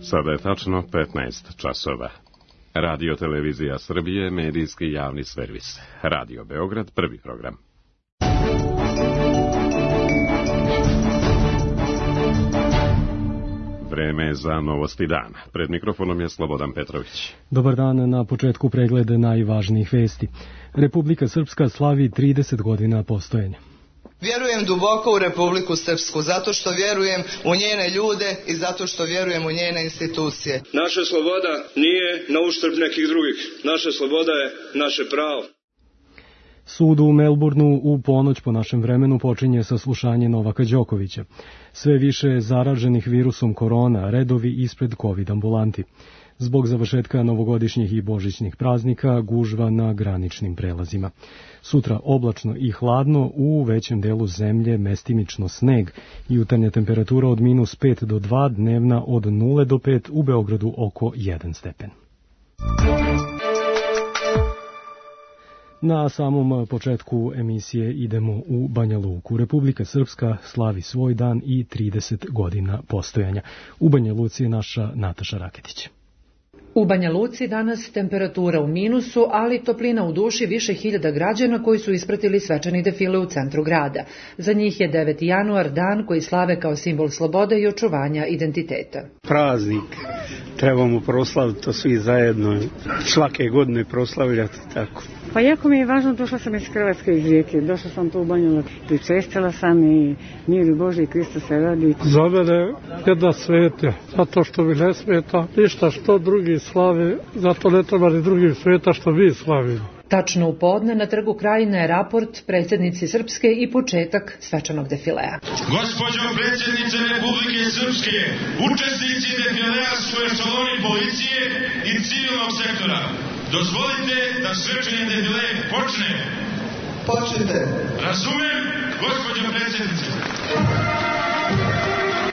Sada je tačno 15 časova. Radio Televizija Srbije, medijski javni servis. Radio Beograd, prvi program. Vreme je za novosti dana. Pred mikrofonom je Slobodan Petrović. Dobar dan, na početku pregled najvažnijih vesti. Republika Srpska slavi 30 godina postojanja. Vjerujem duboko u Republiku Srpsku, zato što vjerujem u njene ljude i zato što vjerujem u njene institucije. Naša sloboda nije na uštrb nekih drugih. Naša sloboda je naše pravo. Sud u Melbourneu u ponoć po našem vremenu počinje saslušanje Novaka Đokovića. Sve više zaraženih virusom korona, redovi ispred COVID ambulanti. Zbog završetka novogodišnjih i božićnih praznika, gužva na graničnim prelazima. Sutra oblačno i hladno, u većem delu zemlje mestimično sneg, jutarnja temperatura od -5 do 2, dnevna od 0 do 5, u Beogradu oko 1 stepen. Na samom početku emisije idemo u Banja Luku. Republika Srpska slavi svoj dan i 30 godina postojanja. U Banja Luci je naša Nataša Raketić. U Banja Luci danas temperatura u minusu, ali toplina u duši više hiljada građana koji su ispratili svečani defile u centru grada. Za njih je 9. januar dan koji slave kao simbol slobode i očuvanja identiteta. Praznik, trebamo proslaviti to svi zajedno, svake godine proslavljati tako. Pa jako mi je važno, došla sam iz Hrvatske, iz Rijeke, došla sam tu u Banju Luku, pričestila sam i mir i Bože i Krista se radi. Za mene jedna sveta, zato što mi ne smeta ništa što drugi slave, zato ne treba ni drugim sveta što mi slavimo. Tačno u podne na Trgu Krajine je raport predsjednici Srpske i početak svečanog defilea. Gospođo predsjednice Republike Srpske, učesnici defilea su ešaloni policije i civilnog sektora. Dozvolite da svečani defile počne. Počnite. Razumem, gospođo predsjednice.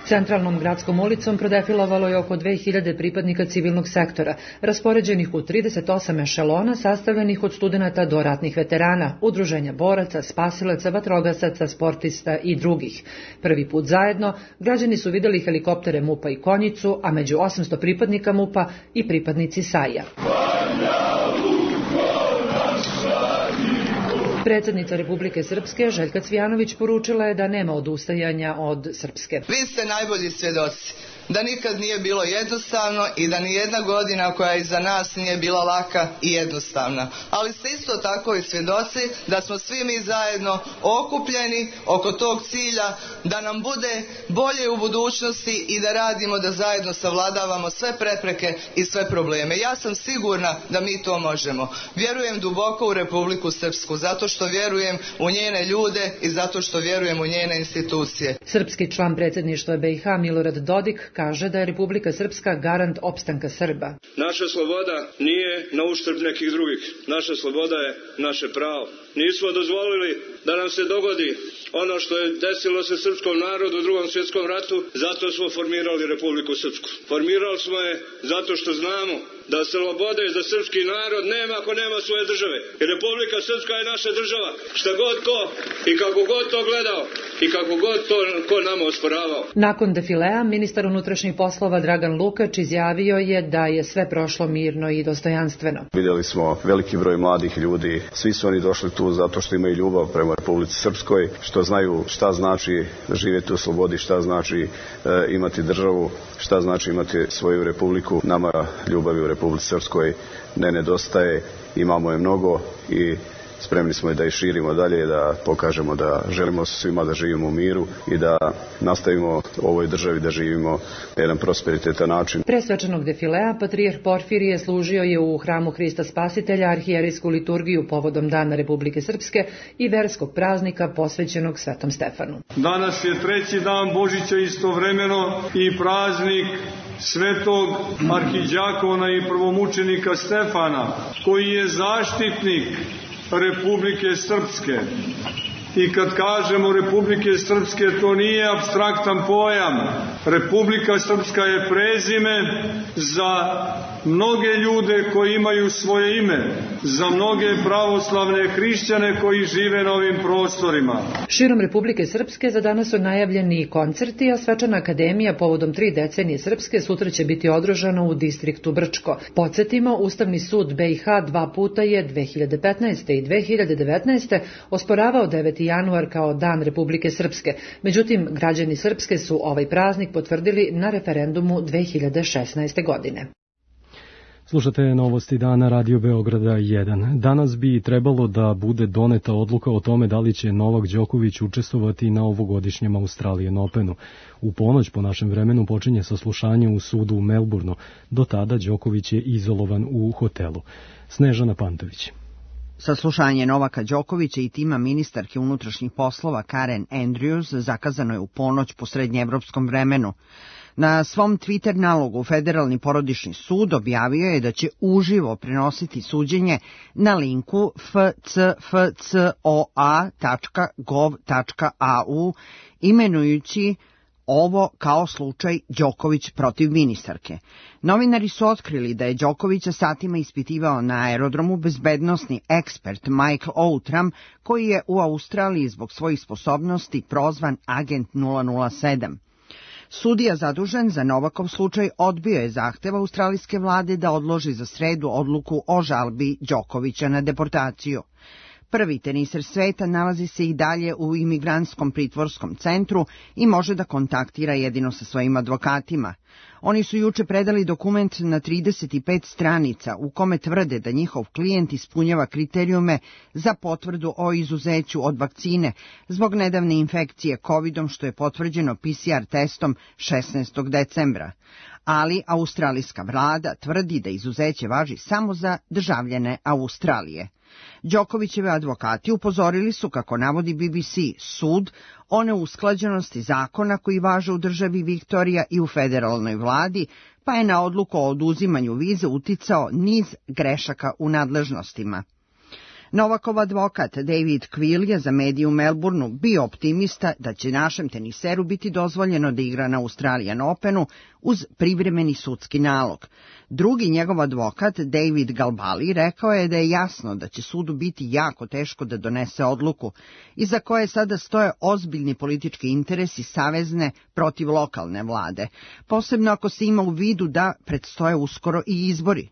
Centralnom gradskom ulicom prodefilovalo je oko 2000 pripadnika civilnog sektora, raspoređenih u 38 ešalona sastavljenih od studenata do ratnih veterana, udruženja boraca, spasilaca, vatrogasaca, sportista i drugih. Prvi put zajedno građani su vidjeli helikoptere MUP-a i konjicu, a među 800 pripadnika MUP-a i pripadnici SAJ-a. Predsjednica Republike Srpske, Željka Cvijanović, poručila je da nema odustajanja od Srpske. Vi ste najbolji svjedoci da nikad nije bilo jednostavno i da nijedna godina koja je iza nas nije bila laka i jednostavna. Ali ste isto tako i svjedoci da smo svi mi zajedno okupljeni oko tog cilja da nam bude bolje u budućnosti i da radimo da zajedno savladavamo sve prepreke i sve probleme. Ja sam sigurna da mi to možemo. Vjerujem duboko u Republiku Srpsku, zato što vjerujem u njene ljude i zato što vjerujem u njene institucije. Srpski član predsjedništva BiH Milorad Dodik kaže da je Republika Srpska garant opstanka Srba. Naša sloboda nije na uštrb nekih drugih. Naša sloboda je naše pravo. Nismo dozvolili da nam se dogodi ono što je desilo se srpskom narodu u Drugom svjetskom ratu, zato smo formirali Republiku Srpsku. Formirali smo je zato što znamo da slobode za srpski narod nema ako nema svoje države. I Republika Srpska je naša država. Šta god ko i kako god to gledao i kako god to ko nama osporavao. Nakon defilea, ministar unutrašnjih poslova Dragan Lukač izjavio je da je sve prošlo mirno i dostojanstveno. Vidjeli smo veliki broj mladih ljudi. Svi su oni došli tu zato što imaju ljubav prema Republici Srpskoj, što znaju šta znači živjeti u slobodi, šta znači imati državu, šta znači imati svoju republiku. Nama ljubavi u Republici Srpskoj ne nedostaje, imamo je mnogo i spremni smo da je širimo dalje, da pokažemo da želimo svima da živimo u miru i da nastavimo u ovoj državi da živimo na jedan prosperitetan način. Pre svečanog defilea patrijarh Porfirije služio je u hramu Hrista Spasitelja arhijerejsku liturgiju povodom Dana Republike Srpske i verskog praznika posvećenog Svetom Stefanu. Danas je treći dan Božića, istovremeno i praznik svetog arhidjakona i prvomučenika Stefana, koji je zaštitnik Republike Srpske. I kad kažemo Republike Srpske, to nije apstraktan pojam. Republika Srpska je prezime za mnoge ljude koji imaju svoje ime, za mnoge pravoslavne hrišćane koji žive na ovim prostorima. Širom Republike Srpske za danas su najavljeni koncerti, a svečana akademija povodom 3 decenije Srpske sutra će biti održana u distriktu Brčko. Podsjetimo, Ustavni sud BiH 2 puta je 2015. i 2019. osporavao 9. januar kao Dan Republike Srpske. Međutim, građani Srpske su ovaj praznik potvrdili na referendumu 2016. godine. Slušate novosti dana Radio Beograda 1. Danas bi trebalo da bude doneta odluka o tome da li će Novak Đoković učestvovati na ovogodišnjem Australian Openu. U ponoć po našem vremenu počinje saslušanje u sudu u Melbourneu. Do tada Đoković je izolovan u hotelu. Snežana Pantović. Saslušanje Novaka Đokovića i tima ministarke unutrašnjih poslova Karen Andrews zakazano je u ponoć po srednjeevropskom vremenu. Na svom Twitter nalogu Federalni porodični sud objavio je da će uživo prenositi suđenje na linku fcfcoa.gov.au, imenujući ovo kao slučaj Đoković protiv ministarke. Novinari su otkrili da je Đokovića satima ispitivao na aerodromu bezbednosni ekspert Michael Outram, koji je u Australiji zbog svojih sposobnosti prozvan agent 007. Sudija zadužen za Novakov slučaj odbio je zahtev australijske vlade da odloži za sredu odluku o žalbi Đokovića na deportaciju. Prvi teniser sveta nalazi se i dalje u imigrantskom pritvorskom centru i može da kontaktira jedino sa svojim advokatima. Oni su juče predali dokument na 35 stranica u kome tvrde da njihov klijent ispunjava kriterijume za potvrdu o izuzeću od vakcine zbog nedavne infekcije COVID-om, što je potvrđeno PCR testom 16. decembra. Ali australijska vlada tvrdi da izuzeće važi samo za državljane Australije. Đokovićeve advokati upozorili su, kako navodi BBC, sud o neusklađenosti zakona koji važe u državi Viktorija i u federalnoj vladi, pa je na odluku o oduzimanju vize uticao niz grešaka u nadležnostima. Novakov advokat David Quill je za medije u Melbourneu bio optimista da će našem teniseru biti dozvoljeno da igra na Australian Openu uz privremeni sudski nalog. Drugi njegov advokat, David Galbali, rekao je da je jasno da će sudu biti jako teško da donese odluku, iza koje sada stoje ozbiljni politički interesi savezne protiv lokalne vlade, posebno ako se ima u vidu da predstoje uskoro i izbori.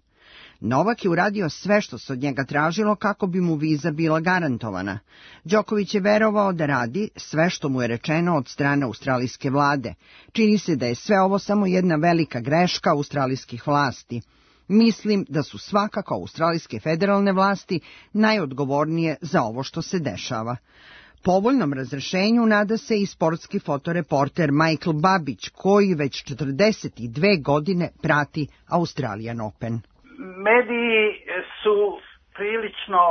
Novak je uradio sve što se od njega tražilo kako bi mu viza bila garantovana. Đoković je verovao da radi sve što mu je rečeno od strane australijske vlade. Čini se da je sve ovo samo jedna velika greška australijskih vlasti. Mislim da su svakako australijske federalne vlasti najodgovornije za ovo što se dešava. Povoljnom razrešenju nada se i sportski fotoreporter Michael Babić, koji već 42 godine prati Australian Open. Mediji su prilično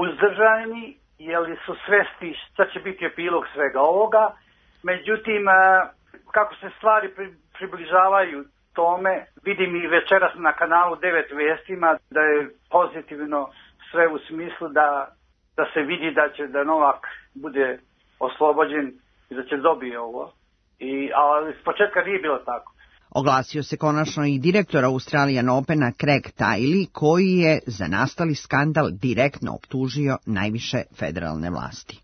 uzdržani, jer su svesni šta će biti epilog svega ovoga. Međutim, kako se stvari približavaju tome, vidim i večeras na kanalu 9 vestima da je pozitivno sve u smislu da se vidi da Novak bude oslobođen i da će dobije ovo. Ali s početka nije bilo tako. Oglasio se konačno i direktor Australian Opena Craig Tiley, koji je za nastali skandal direktno optužio najviše federalne vlasti.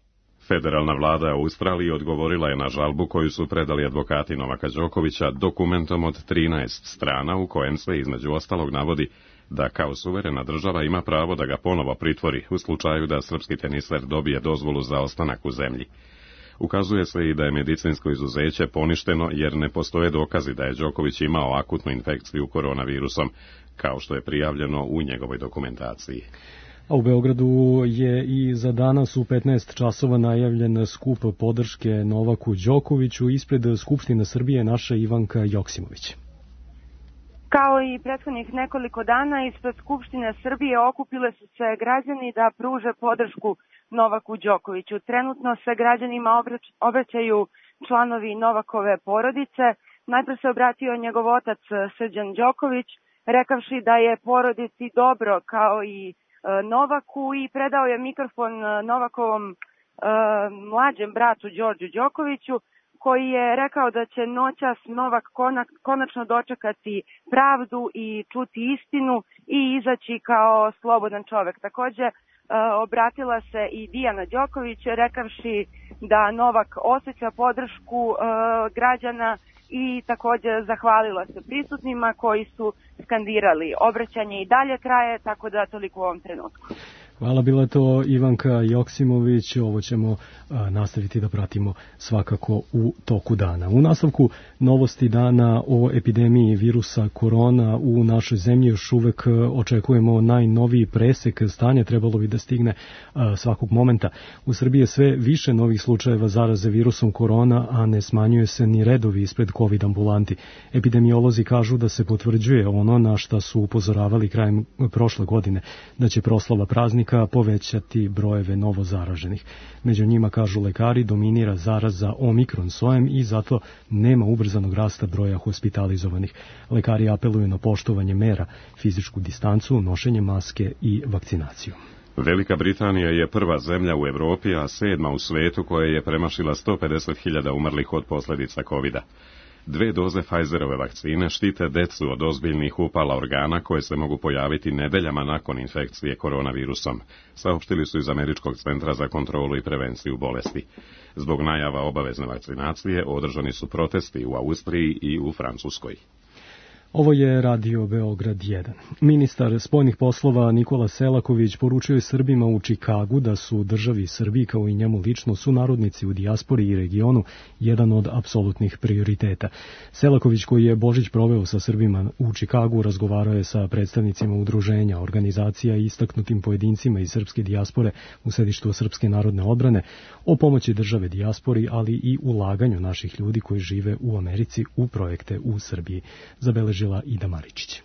Federalna vlada Australije odgovorila je na žalbu koju su predali advokati Novaka Đokovića dokumentom od 13 strana u kojem se između ostalog navodi da kao suverena država ima pravo da ga ponovo pritvori u slučaju da srpski teniser dobije dozvolu za ostanak u zemlji. Ukazuje se i da je medicinsko izuzeće poništeno jer ne postoje dokazi da je Đoković imao akutnu infekciju koronavirusom, kao što je prijavljeno u njegovoj dokumentaciji. A u Beogradu je i za danas u 15 časova najavljen skup podrške Novaku Đokoviću. Ispred Skupštine Srbije naša Ivanka Joksimović. Kao i prethodnih nekoliko dana, ispred Skupštine Srbije okupile su se građani da pruže podršku Novaku Đokoviću. Trenutno se građanima obraćaju članovi Novakove porodice. Najpre se obratio njegov otac Srđan Đoković, rekavši da je porodici dobro kao i Novaku, i predao je mikrofon Novakovom mlađem bratu Đorđu Đokoviću, koji je rekao da će noćas Novak konačno dočekati pravdu i čuti istinu i izaći kao slobodan čovek. Takođe, obratila se i Dijana Đoković, rekavši da Novak osjeća podršku građana i takođe zahvalila se prisutnima koji su skandirali. Obraćanje i dalje traje, tako da toliko u ovom trenutku. Hvala, bila to Ivanka Joksimović. Ovo ćemo nastaviti da pratimo svakako u toku dana. U nastavku novosti dana o epidemiji virusa korona u našoj zemlji. Još uvek očekujemo najnoviji presek stanja, trebalo bi da stigne svakog momenta. U Srbiji je sve više novih slučajeva zaraze virusom korona, a ne smanjuje se ni redovi ispred COVID ambulanti. Epidemiolozi kažu da se potvrđuje ono na šta su upozoravali krajem prošle godine, da će proslava praznika povećati brojeve novo zaraženih. Među njima, kažu lekari, dominira zaraza omikron sojem i zato nema ubrzanog rasta broja hospitalizovanih. Lekari apeluju na poštovanje mera, fizičku distancu, nošenje maske i vakcinaciju. Velika Britanija je prva zemlja u Evropi, a 7. u svetu koja je premašila 150.000 umrlih od posljedica COVID-a. 2 doze Pfizerove vakcine štite decu od ozbiljnih upala organa koje se mogu pojaviti nedeljama nakon infekcije koronavirusom, saopštili su iz Američkog centra za kontrolu i prevenciju bolesti. Zbog najava obavezne vakcinacije održani su protesti u Austriji i u Francuskoj. Ovo je Radio Beograd 1. Ministar spoljnih poslova Nikola Selaković poručio je Srbima u Čikagu da su državi Srbiji kao i njemu lično sunarodnici u dijaspori i regionu jedan od apsolutnih prioriteta. Selaković, koji je Božić proveo sa Srbima u Čikagu, razgovarao je sa predstavnicima udruženja, organizacija i istaknutim pojedincima iz srpske dijaspore u sedištu Srpske narodne odbrane o pomoći države dijaspori, ali i ulaganju naših ljudi koji žive u Americi u projekte u Srbiji. Zabeležila Ida Maričić.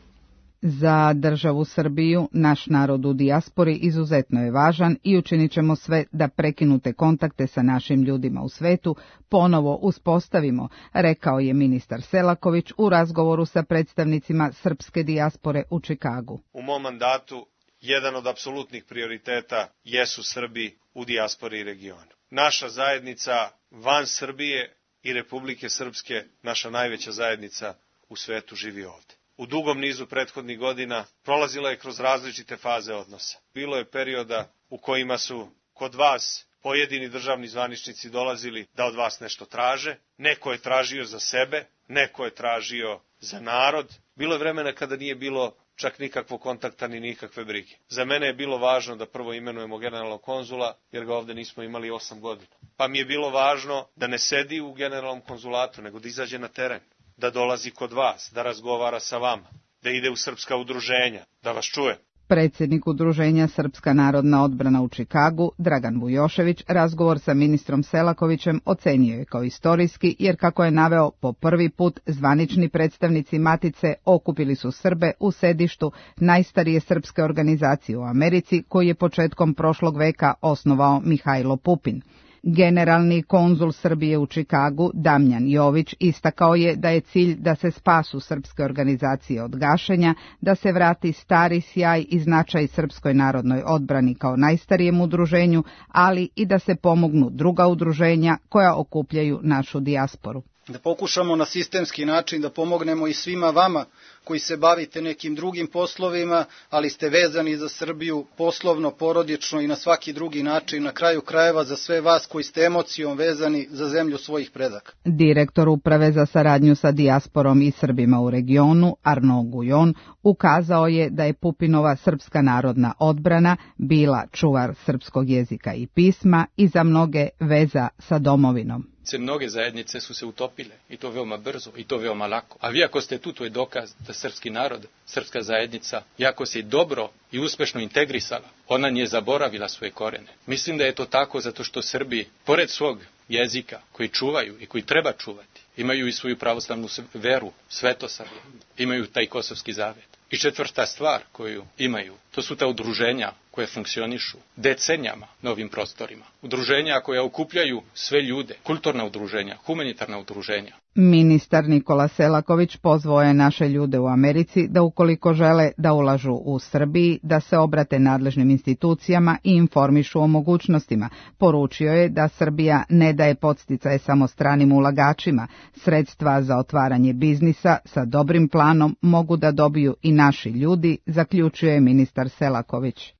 Za državu Srbiju naš narod u dijaspori izuzetno je važan i učinit ćemo sve da prekinute kontakte sa našim ljudima u svetu ponovo uspostavimo, rekao je ministar Selaković u razgovoru sa predstavnicima srpske dijaspore u Čikagu. U mom mandatu jedan od apsolutnih prioriteta jesu Srbi u dijaspori i regionu. Naša zajednica van Srbije i Republike Srpske, naša najveća zajednica u svetu, živi ovde. U dugom nizu prethodnih godina prolazila je kroz različite faze odnosa. Bilo je perioda u kojima su kod vas pojedini državni zvaničnici dolazili da od vas nešto traže, neko je tražio za sebe, neko je tražio za narod. Bilo je vremena kada nije bilo čak nikakvog kontakta ni nikakve brige. Za mene je bilo važno da prvo imenujemo generalnog konzula, jer ga ovde nismo imali 8 godina. Pa mi je bilo važno da ne sedi u generalnom konzulatu, nego da izađe na teren, da dolazi kod vas, da razgovara sa vama, da ide u srpska udruženja, da vas čuje. Predsjednik udruženja Srpska narodna odbrana u Čikagu, Dragan Vujošević, razgovor sa ministrom Selakovićem ocenio je kao istorijski, jer kako je naveo, po prvi put zvanični predstavnici Matice okupili su Srbe u sedištu najstarije srpske organizacije u Americi, koji je početkom prošlog veka osnovao Mihajlo Pupin. Generalni konzul Srbije u Čikagu, Damjan Jović, istakao je da je cilj da se spasu srpske organizacije od gašenja, da se vrati stari sjaj i značaj Srpskoj narodnoj odbrani kao najstarijem udruženju, ali i da se pomognu druga udruženja koja okupljaju našu dijasporu. Da pokušamo na sistemski način da pomognemo i svima vama koji se bavite nekim drugim poslovima, ali ste vezani za Srbiju poslovno, porodično i na svaki drugi način, na kraju krajeva za sve vas koji ste emocijom vezani za zemlju svojih predaka. Direktor Uprave za saradnju sa dijasporom i Srbima u regionu, Arno Gujon, ukazao je da je Pupinova Srpska narodna odbrana bila čuvar srpskog jezika i pisma i za mnoge veza sa domovinom. Mnoge zajednice su se utopile i to veoma brzo i to veoma lako. A vi ako ste tu, to je dokaz da srpski narod, srpska zajednica, jako se dobro i uspešno integrisala, ona nije zaboravila svoje korene. Mislim da je to tako zato što Srbi, pored svog jezika koji čuvaju i koji treba čuvati, imaju i svoju pravoslavnu veru, svetosavlje, imaju taj kosovski zavet. I četvrta stvar koju imaju, to su ta udruženja koje funkcionišu decenijama na ovim prostorima. Udruženja koja okupljaju sve ljude, kulturna udruženja, humanitarna udruženja. Ministar Nikola Selaković pozvao je naše ljude u Americi da ukoliko žele da ulažu u Srbiji, da se obrate nadležnim institucijama i informišu o mogućnostima. Poručio je da Srbija ne daje podsticaje samo stranim ulagačima. Sredstva za otvaranje biznisa sa dobrim planom mogu da dobiju i naši ljudi, zaključio je ministar Selaković.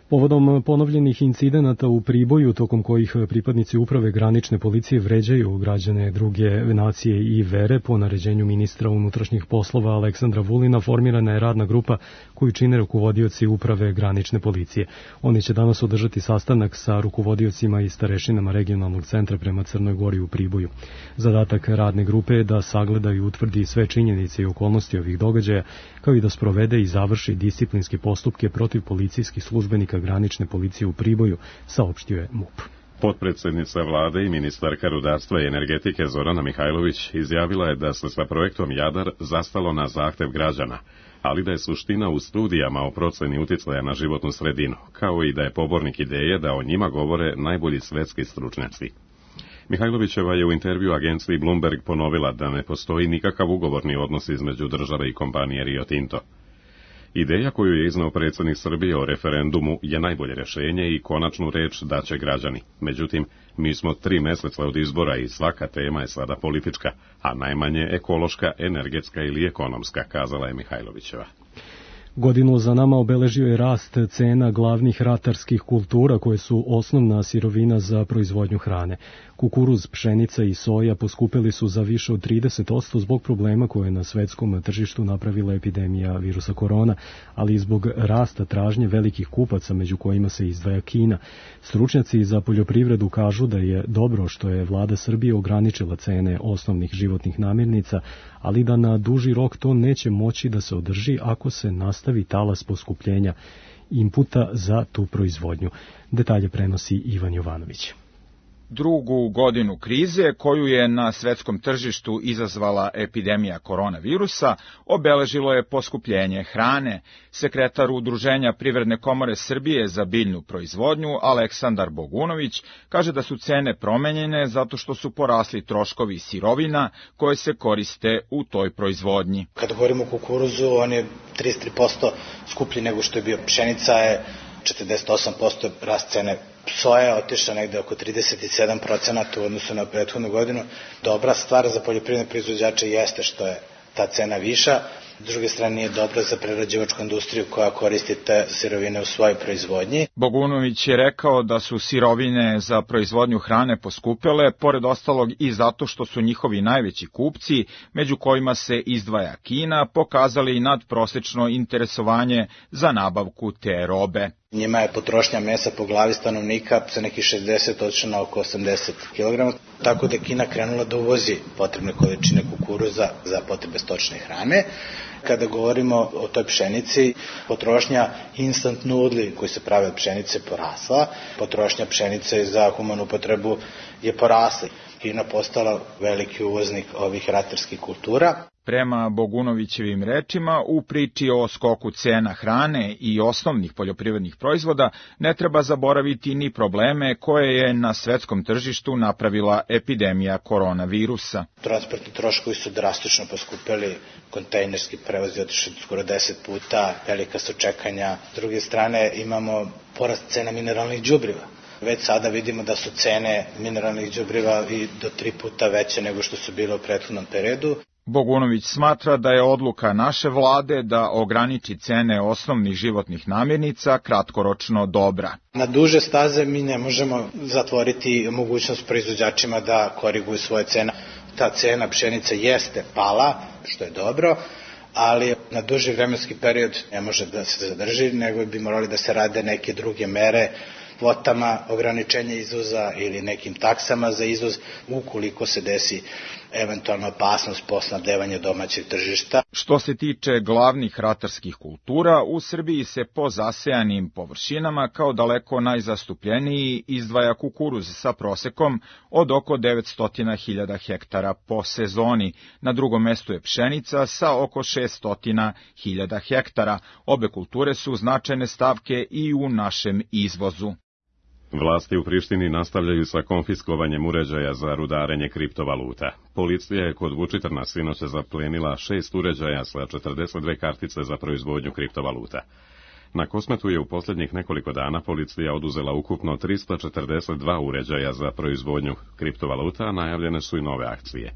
Povodom ponovljenih incidenata u Priboju, tokom kojih pripadnici uprave granične policije vređaju građane druge nacije i vere, po naređenju ministra unutrašnjih poslova Aleksandra Vulina formirana je radna grupa koju čine rukovodioci uprave granične policije. Oni će danas održati sastanak sa rukovodiocima i starešinama regionalnog centra prema Crnoj Gori u Priboju. Zadatak radne grupe je da sagleda i utvrdi sve činjenice i okolnosti ovih događaja, kao i da sprovede i završi disciplinske postupke protiv policijskih službenika granične policije u Priboju, saopštio je MUP. Potpredsjednica vlade i ministarka rudarstva i energetike Zorana Mihajlović izjavila je da se sa projektom Jadar zastalo na zahtev građana, ali da je suština u studijama o proceni uticaja na životnu sredinu, kao i da je pobornik ideje da o njima govore najbolji svetski stručnjaci. Mihajlovićeva je u intervju agenciji Bloomberg ponovila da ne postoji nikakav ugovorni odnos između države i kompanije Rio Tinto. Ideja koju je izneo predsjednik Srbije o referendumu je najbolje rješenje i konačnu reč daće građani. Međutim, mi smo 3 mjeseca od izbora i svaka tema je sada politička, a najmanje ekološka, energetska ili ekonomska, kazala je Mihajlovićeva. Godinu za nama obeležio je rast cena glavnih ratarskih kultura koje su osnovna sirovina za proizvodnju hrane. Kukuruz, pšenica i soja poskupeli su za više od 30% zbog problema koje je na svetskom tržištu napravila epidemija virusa korona, ali i zbog rasta tražnje velikih kupaca, među kojima se izdvaja Kina. Stručnjaci za poljoprivredu kažu da je dobro što je vlada Srbije ograničila cene osnovnih životnih namirnica, ali da na duži rok to neće moći da se održi ako se nastavi talas poskupljenja inputa za tu proizvodnju. Detalje prenosi Ivan Jovanović. Drugu godinu krize, koju je na svetskom tržištu izazvala epidemija koronavirusa, obeležilo je poskupljenje hrane. Sekretar Udruženja Privredne komore Srbije za biljnu proizvodnju, Aleksandar Bogunović, kaže da su cene promenjene zato što su porasli troškovi sirovina koje se koriste u toj proizvodnji. Kada govorimo o kukuruzu, on je 33% skuplji nego što je bio. Pšenica je 48% rast cene. Soja je otišla negde oko 37% u odnosu na prethodnu godinu. Dobra stvar za poljoprivredne proizvođače jeste što je ta cena viša. S druge strane nije dobro za prerađivačku industriju koja koristi te sirovine u svojoj proizvodnji. Bogunović je rekao da su sirovine za proizvodnju hrane poskupele, pored ostalog i zato što su njihovi najveći kupci, među kojima se izdvaja Kina, pokazali nadprosečno interesovanje za nabavku te robe. Njima je potrošnja mesa po glavi stanovnika sa nekih 60 otišla na oko 80 kg, tako da je Kina krenula da uvozi potrebne količine kukuruza za potrebe stočne hrane. Kada govorimo o toj pšenici, potrošnja instant nudli koji se prave od pšenice porasla, potrošnja pšenice za humanu upotrebu je porasla. Kina postala veliki uvoznik ovih ratarskih kultura. Prema Bogunovićevim rečima, u priči o skoku cena hrane i osnovnih poljoprivrednih proizvoda ne treba zaboraviti ni probleme koje je na svetskom tržištu napravila epidemija koronavirusa. Transportni troškovi su drastično poskupeli, kontejnerski prevoz je otišao skoro 10 puta, velika su čekanja. S druge strane imamo porast cena mineralnih đubriva. Već sada vidimo da su cene mineralnih đubriva i do 3 puta veće nego što su bile u prethodnom periodu. Bogunović smatra da je odluka naše vlade da ograniči cene osnovnih životnih namirnica kratkoročno dobra. Na duže staze mi ne možemo zatvoriti mogućnost proizvođačima da koriguju svoje cene. Ta cena pšenice jeste pala, što je dobro, ali na duži vremenski period ne može da se zadrži, nego bi morali da se rade neke druge mere, kvotama ograničenja izvoza ili nekim taksama za izvoz ukoliko se desi eventualna opasnost po snabdevanje domaćeg tržišta. Što se tiče glavnih ratarskih kultura, u Srbiji se po zasejanim površinama kao daleko najzastupljeniji izdvaja kukuruz sa prosekom od oko 900.000 hektara po sezoni. Na drugom mestu je pšenica sa oko 600.000 hektara. Obe kulture su značajne stavke i u našem izvozu. Vlasti u Prištini nastavljaju sa konfiskovanjem uređaja za rudarenje kriptovaluta. Policija je kod Vučitrna sinoće zaplenila 6 uređaja sa 42 kartice za proizvodnju kriptovaluta. Na Kosmetu je u posljednjih nekoliko dana policija oduzela ukupno 342 uređaja za proizvodnju kriptovaluta, a najavljene su i nove akcije.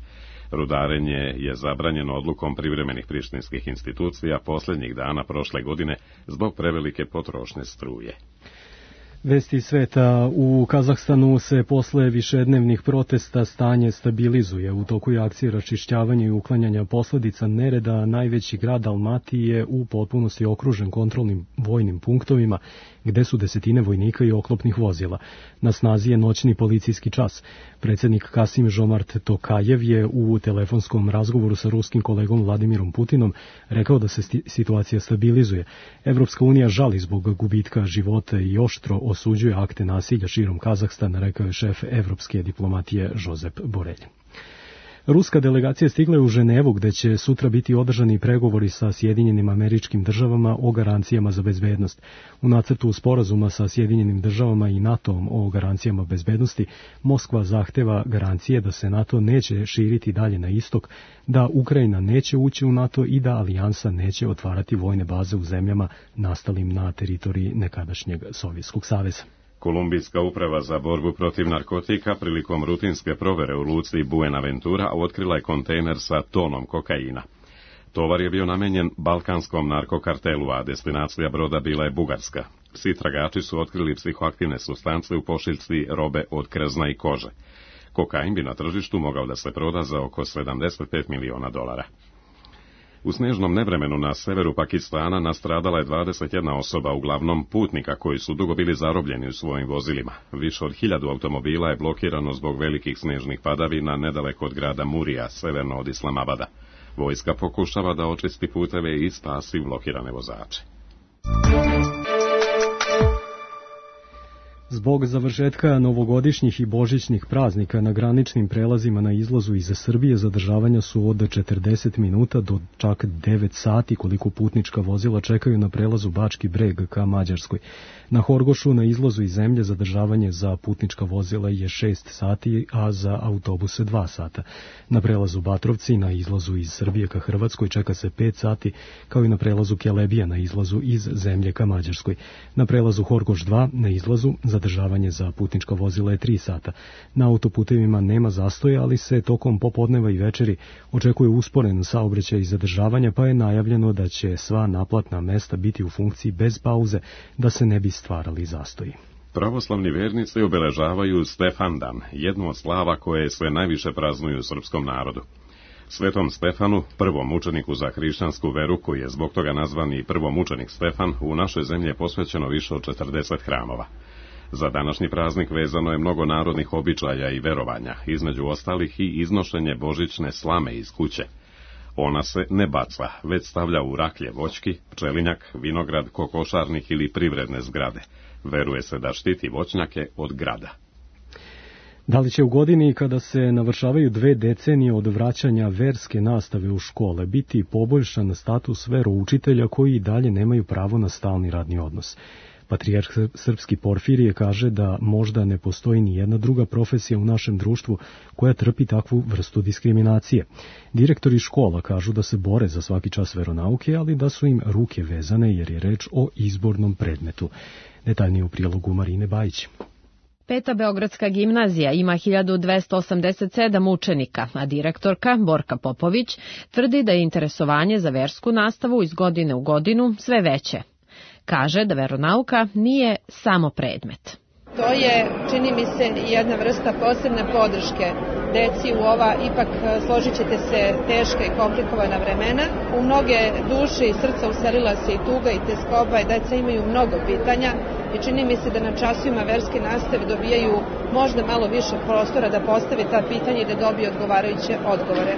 Rudarenje je zabranjeno odlukom privremenih prištinskih institucija posljednjih dana prošle godine zbog prevelike potrošnje struje. Vesti sveta. U Kazahstanu se posle višednevnih protesta stanje stabilizuje. U toku je akcije raščišćavanja i uklanjanja posledica nereda. Najveći grad Almati je u potpunosti okružen kontrolnim vojnim punktovima, gde su desetine vojnika i oklopnih vozila. Na snazi je noćni policijski čas. Predsjednik Kasim Žomart Tokajev je u telefonskom razgovoru sa ruskim kolegom Vladimirom Putinom rekao da se situacija stabilizuje. Evropska unija žali zbog gubitka života i oštro osuđuje akte nasilja širom Kazahstana, rekao je šef evropske diplomatije Josep Borelj. Ruska delegacija stigla je u Ženevu, gde će sutra biti održani pregovori sa Sjedinjenim Američkim Državama o garancijama za bezbednost. U nacrtu sporazuma sa Sjedinjenim Državama i NATO-om o garancijama bezbednosti, Moskva zahteva garancije da se NATO neće širiti dalje na istok, da Ukrajina neće ući u NATO i da alijansa neće otvarati vojne baze u zemljama nastalim na teritoriji nekadašnjeg Sovjetskog saveza. Kolumbijska uprava za borbu protiv narkotika prilikom rutinske provere u luci Buenaventura otkrila je kontejner sa tonom kokaina. Tovar je bio namenjen balkanskom narkokartelu, a destinacija broda bila je Bugarska. Svi tragači su otkrili psihoaktivne supstance u pošiljci robe od krzna i kože. Kokain bi na tržištu mogao da se proda za oko $75 miliona. U snežnom nevremenu na severu Pakistana nastradala je 21 osoba, uglavnom putnika koji su dugo bili zarobljeni u svojim vozilima. Više od 1000 automobila je blokirano zbog velikih snežnih padavina nedaleko od grada Murija, severno od Islamabada. Vojska pokušava da očisti puteve i spasi blokirane vozače. Zbog završetka novogodišnjih i božićnih praznika na graničnim prelazima na izlazu iz Srbije zadržavanja su od 40 minuta do čak 9 sati koliko putnička vozila čekaju na prelazu Bački Breg ka Mađarskoj. Na Horgošu na izlazu iz zemlje zadržavanje za putnička vozila je 6 sati, a za autobuse 2 sata. Na prelazu Batrovci na izlazu iz Srbije ka Hrvatskoj čeka se 5 sati, kao i na prelazu Kelebija na izlazu iz zemlje ka Mađarskoj. Na prelazu Horgoš 2 na izlazu zadržavanje za putnička vozila je 3 sata. Na autoputevima nema zastoja, ali se tokom popodneva i večeri očekuje usporen saobraćaj i zadržavanja, pa je najavljeno da će sva naplatna mesta biti u funkciji bez pauze, da se ne bi stvarali zastoji. Pravoslavni vernici obeležavaju Stefandan, jednu od slava koje se najviše praznuju u srpskom narodu. Svetom Stefanu, prvom mučeniku za hrišćansku veru, koji je zbog toga nazvan i prvomučenik Stefan, u našoj zemlji je posvećeno više od 40 hramova. Za današnji praznik vezano je mnogo narodnih običaja i verovanja, između ostalih i iznošenje božićne slame iz kuće. Ona se ne baca, već stavlja u raklje voćki, pčelinjak, vinograd, kokošarnik ili privredne zgrade. Veruje se da štiti voćnjake od grada. Da li će u godini kada se navršavaju 2 decenije od vraćanja verske nastave u škole biti poboljšan status veroučitelja koji i dalje nemaju pravo na stalni radni odnos? Patrijarh srpski Porfirije kaže da možda ne postoji ni jedna druga profesija u našem društvu koja trpi takvu vrstu diskriminacije. Direktori škola kažu da se bore za svaki čas veronauke, ali da su im ruke vezane jer je reč o izbornom predmetu. Detaljnije u prilogu Marine Bajić. Peta Beogradska gimnazija ima 1287 učenika, a direktorka Borka Popović tvrdi da je interesovanje za versku nastavu iz godine u godinu sve veće. Kaže da veronauka nije samo predmet. To je, čini mi se, jedna vrsta posebne podrške deci u ova, ipak složit ćete se, teška i komplikovana vremena. U mnoge duše i srca uselila se i tuga i teskoba i deca imaju mnogo pitanja i čini mi se da na časovima verske nastave dobijaju možda malo više prostora da postave ta pitanja i da dobiju odgovarajuće odgovore.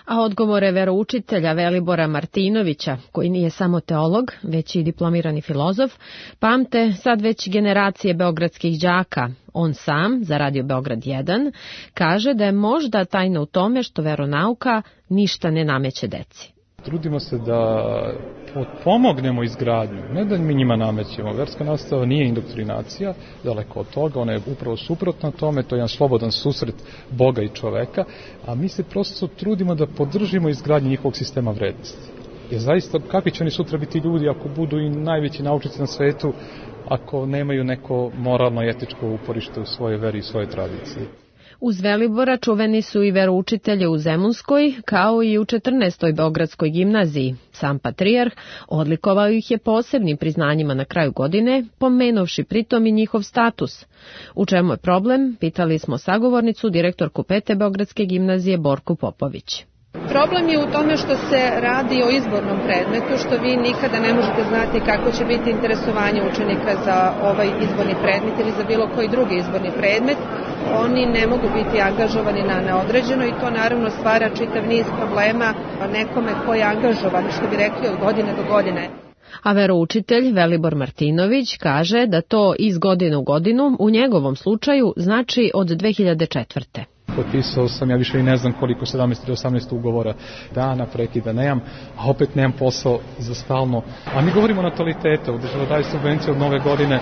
A odgovore veroučitelja Velibora Martinovića, koji nije samo teolog, već i diplomirani filozof, pamte sad već generacije beogradskih đaka. On sam, za Radio Beograd 1, kaže da je možda tajna u tome što veronauka ništa ne nameće deci. Trudimo se da pomognemo izgradnju, ne da mi njima namećemo. Verska nastava nije indoktrinacija, daleko od toga, ona je upravo suprotna tome, to je jedan slobodan susret Boga i čoveka, a mi se prosto trudimo da podržimo izgradnju njihovog sistema vrednosti. Jer zaista, kakvi će oni sutra biti ljudi ako budu i najveći naučnici na svetu, ako nemaju neko moralno i etičko uporište u svojoj veri i svojoj tradiciji? Uz Velibora čuveni su i veroučitelje u Zemunskoj, kao i u 14. Beogradskoj gimnaziji. Sam patrijarh odlikovao ih je posebnim priznanjima na kraju godine, pomenovši pritom i njihov status. U čemu je problem, pitali smo sagovornicu, direktorku 5. Beogradske gimnazije Borku Popović. Problem je u tome što se radi o izbornom predmetu, što vi nikada ne možete znati kako će biti interesovanje učenika za ovaj izborni predmet ili za bilo koji drugi izborni predmet. Oni ne mogu biti angažovani na neodređeno i to naravno stvara čitav niz problema nekome ko je angažovan, što bi rekli, od godine do godine. A veroučitelj Velibor Martinović kaže da to iz godine u godinu u njegovom slučaju znači od 2004. Potpisao sam, ja više i ne znam koliko, 17 ili 18 ugovora dana, prekida nemam, a opet nemam posao za stalno. A mi govorimo o natalitetu, država daje subvencije od nove godine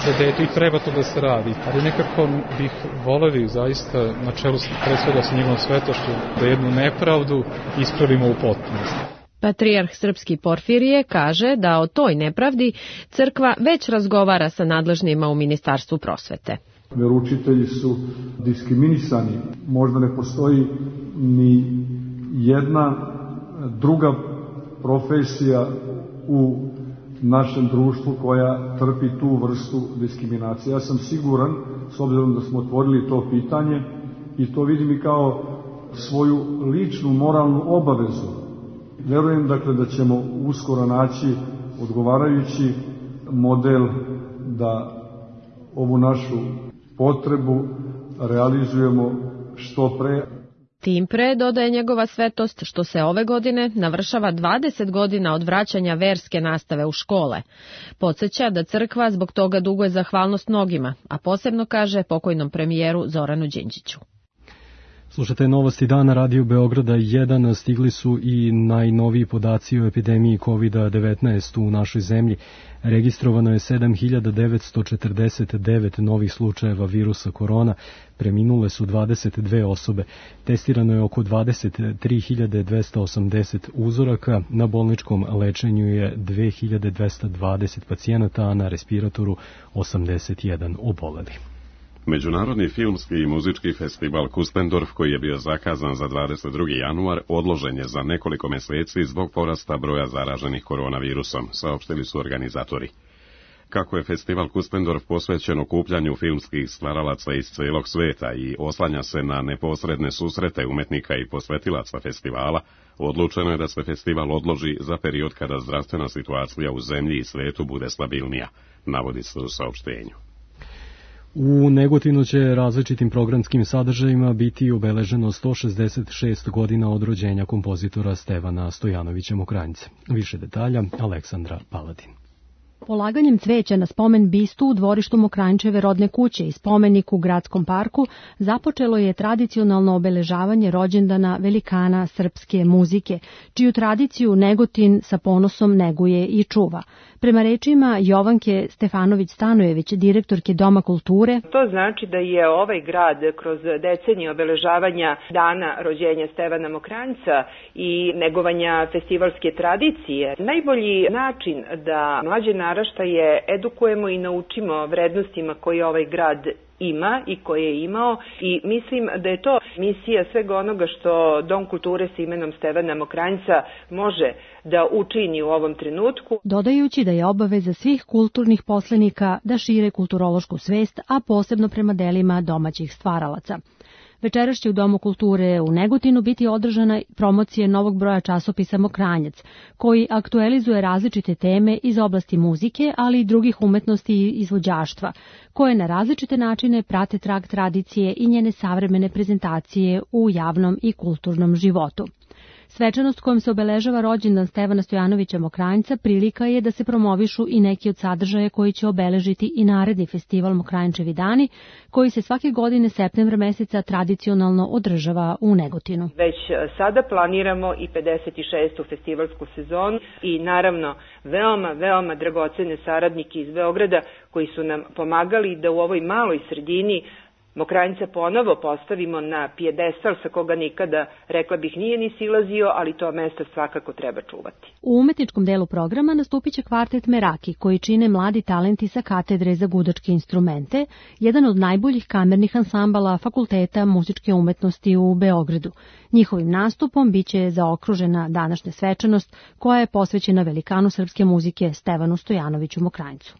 za dete i treba to da se radi. Ali nekako bih volevi zaista na čelu pre svega sa njegovom svetošću da jednu nepravdu ispravimo u potpunosti. Patrijarh Srpski Porfirije kaže da o toj nepravdi crkva već razgovara sa nadležnima u Ministarstvu prosvete. Veroučitelji su diskriminisani. Možda ne postoji ni jedna druga profesija u našem društvu koja trpi tu vrstu diskriminacije. Ja sam siguran, s obzirom da smo otvorili to pitanje, i to vidim i kao svoju ličnu moralnu obavezu. Verujem dakle da ćemo uskoro naći odgovarajući model da ovu našu potrebu realizujemo što pre. Tim pre, dodaje njegova svetost, što se ove godine navršava 20 godina od vraćanja verske nastave u škole. Podsjeća da crkva zbog toga duguje zahvalnost mnogima, a posebno kaže pokojnom premijeru Zoranu Đinđiću. Slušate novosti dana Radio Beograda 1, stigli su i najnoviji podaci o epidemiji COVID-19 u našoj zemlji. Registrovano je 7.949 novih slučajeva virusa korona, preminule su 22 osobe, testirano je oko 23.280 uzoraka, na bolničkom lečenju je 2.220 pacijenata, a na respiratoru 81 oboleli. Međunarodni filmski i muzički festival Kustendorf, koji je bio zakazan za 22. januar, odložen je za nekoliko meseci zbog porasta broja zaraženih koronavirusom, saopštili su organizatori. Kako je festival Kustendorf posvećen okupljanju filmskih stvaralaca iz celog sveta i oslanja se na neposredne susrete umetnika i posvetilaca festivala, odlučeno je da se festival odloži za period kada zdravstvena situacija u zemlji i svetu bude stabilnija, navodi se u saopštenju. U Negotinu će različitim programskim sadržajima biti obeleženo 166 godina od rođenja kompozitora Stevana Stojanovića Mokranjca. Više detalja, Aleksandra Paladin. Polaganjem cveća na spomen bistu u dvorištu Mokranjčeve rodne kuće i spomenik u Gradskom parku započelo je tradicionalno obeležavanje rođendana velikana srpske muzike, čiju tradiciju Negotin sa ponosom neguje i čuva. Prema rečima Jovanke Stefanović-Stanojević, direktorke Doma kulture, to znači da je ovaj grad kroz decenije obeležavanja dana rođenja Stevana Mokranjca i negovanja festivalske tradicije najbolji način da mlađe naraštaje edukujemo i naučimo vrednostima koje ovaj grad ima i koje je imao i mislim da je to misija svega onoga što Dom kulture sa imenom Stevana Mokranjca može da učini u ovom trenutku. Dodajući da je obaveza svih kulturnih poslenika da šire kulturološku svest, a posebno prema delima domaćih stvaralaca. Večeras će u Domu kulture u Negotinu biti održana promocija novog broja časopisa Mokranjac, koji aktualizuje različite teme iz oblasti muzike, ali i drugih umetnosti i izvođaštva, koje na različite načine prate trag tradicije i njene savremene prezentacije u javnom i kulturnom životu. Svečanost kojom se obeležava rođendan Stevana Stojanovića Mokranjca prilika je da se promovišu i neki od sadržaja koji će obeležiti i naredni festival Mokranjčevi dani, koji se svake godine septembra meseca tradicionalno održava u Negotinu. Već sada planiramo i 56. festivalsku sezonu i naravno veoma dragocene saradnike iz Beograda koji su nam pomagali da u ovoj maloj sredini Mokranjca ponovo postavimo na pijedestal sa koga nikada, rekla bih, nije ni silazio, ali to mesto svakako treba čuvati. U umetničkom delu programa nastupit će kvartet Meraki, koji čine mladi talenti sa katedre za gudačke instrumente, jedan od najboljih kamernih ansambala Fakulteta muzičke umetnosti u Beogradu. Njihovim nastupom biće zaokružena današnja svečanost koja je posvećena velikanu srpske muzike Stevanu Stojanoviću Mokranjcu.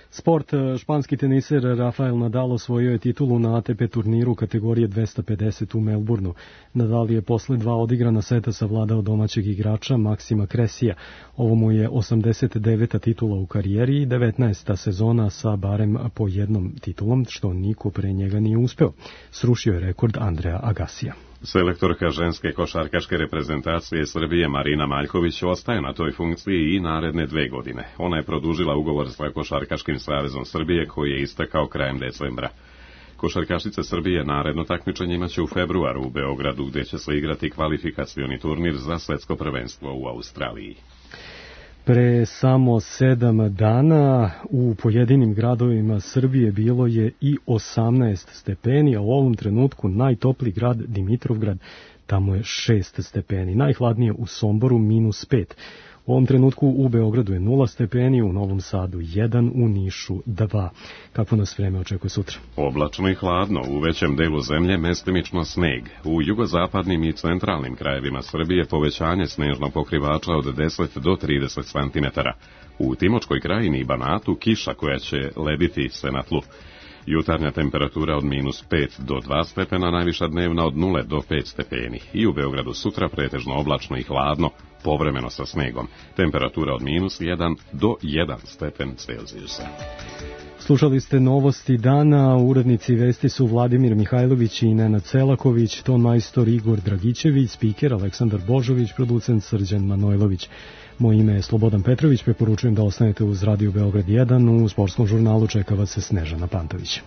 Sport, španski teniser Rafael Nadal osvojio je titulu na ATP turniru kategorije 250 u Melbourneu. Nadal je posle 2 odigrana seta savladao domaćeg igrača Maksima Kresija. Ovo mu je 89. titula u karijeri i 19. sezona sa barem po jednom titulom, što niko pre njega nije uspeo. Srušio je rekord Andreja Agasija. Selektorka ženske košarkaške reprezentacije Srbije Marina Maljković ostaje na toj funkciji i naredne 2 godine. Ona je produžila ugovor sa Košarkaškim savezom Srbije koji je istekao krajem decembra. Košarkašice Srbije naredno takmičenje imaće u februaru u Beogradu, gde će se igrati kvalifikacioni turnir za svetsko prvenstvo u Australiji. Pre samo 7 dana u pojedinim gradovima Srbije bilo je i 18 stepeni, a u ovom trenutku najtopliji grad Dimitrovgrad, tamo je 6 stepeni. Najhladnije u Somboru -5. U ovom trenutku u Beogradu je 0 stepeni, u Novom Sadu 1, u Nišu 2. Kako nas vreme očekuje sutra? Oblačno i hladno, u većem delu zemlje mestimično sneg. U jugozapadnim i centralnim krajevima Srbije povećanje snežnog pokrivača od 10 do 30 cm. U Timočkoj krajini i Banatu kiša koja će lediti se na tlu. Jutarnja temperatura od -5 do 2 stepena, najviša dnevna od 0 do 5 stepeni. I u Beogradu sutra pretežno oblačno i hladno, povremeno sa snegom. Temperatura od -1 do 1 stepen Celzijusa. Slušali ste novosti dana, urednici vesti su Vladimir Mihajlović i Nenad Selaković, ton majstor Igor Dragićević, spiker Aleksandar Božović, producent Srđan Manojlović. Moje ime je Slobodan Petrović, preporučujem da ostanete uz Radio Beograd 1, u sportskom žurnalu čeka vas se Snežana Pantović.